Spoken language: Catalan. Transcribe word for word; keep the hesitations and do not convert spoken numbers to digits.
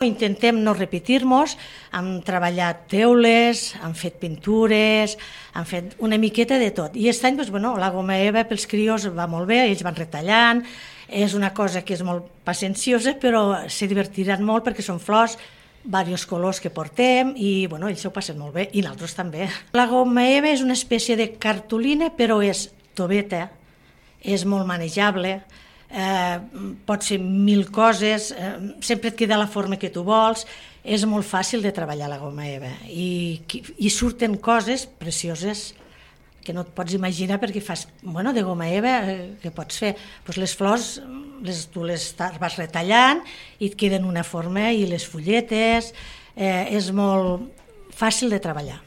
Intentem no repetir-nos, hem treballat teules, hem fet pintures, hem fet una miqueta de tot. I aquest any doncs, bueno, la goma eva pels crios va molt bé, ells van retallant, és una cosa que és molt pacienciosa, però se divertiran molt perquè són flors, diversos colors que portem i bueno, ells s'ho passen molt bé i nosaltres també. La goma eva és una espècie de cartolina, però és toveta, és molt manejable, Eh, pot ser mil coses, eh, sempre et queda la forma que tu vols, és molt fàcil de treballar la goma eva i, i surten coses precioses que no et pots imaginar perquè fas, bueno, de goma eva eh, què pots fer? Pues les flors les, tu les vas retallant i et queden una forma i les fulletes, eh, és molt fàcil de treballar.